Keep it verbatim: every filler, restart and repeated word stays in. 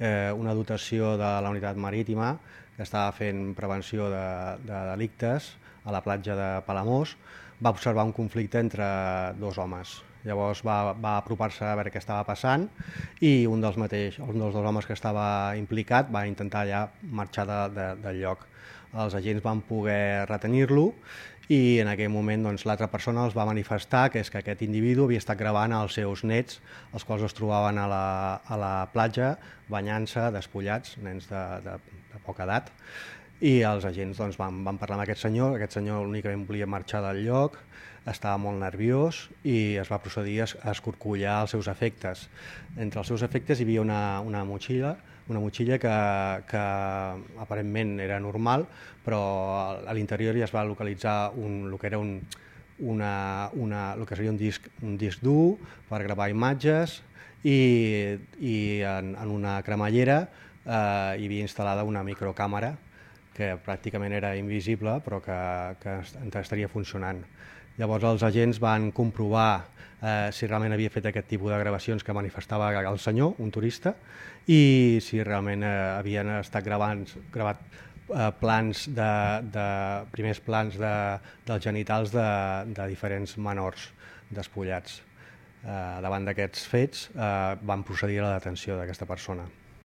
eh, una dotació de la unitat marítima que estava fent prevenció de, de delictes a la platja de Palamós, va observar un conflicte entre dos homes. Llavors va, va apropar-se a veure què estava passant i un dels, mateix, un dels dos homes que estava implicat va intentar ja marxar de, de, del lloc. Els agents van poder retenir-lo i en aquell moment doncs, l'altra persona els va manifestar que és que aquest individu havia estat gravant els seus nets, els quals es trobaven a la, a la platja banyant-se, despullats, nens de, de, de poca edat, i els agents doncs, van, van parlar amb aquest senyor. Aquest senyor únicament volia marxar del lloc, estava molt nerviós i es va procedir a escorcollar els seus efectes. Entre els seus efectes hi havia una, una motxilla, una motxilla que, que aparentment era normal, però a l'interior ja es va localitzar un, el que era un, una, una, el que seria un disc, un disc dur per gravar imatges i, i en, en una cremallera eh, hi havia instal·lada una microcàmera que pràcticament era invisible però que, que estaria funcionant. Llavors els agents van comprovar eh, si realment havia fet aquest tipus de gravacions que manifestava el senyor, un turista, i si realment eh, havien estat gravant, gravat eh, plans de, de, primers plans de, dels genitals de, de diferents menors despullats. Eh, davant d'aquests fets eh, van procedir a la detenció d'aquesta persona.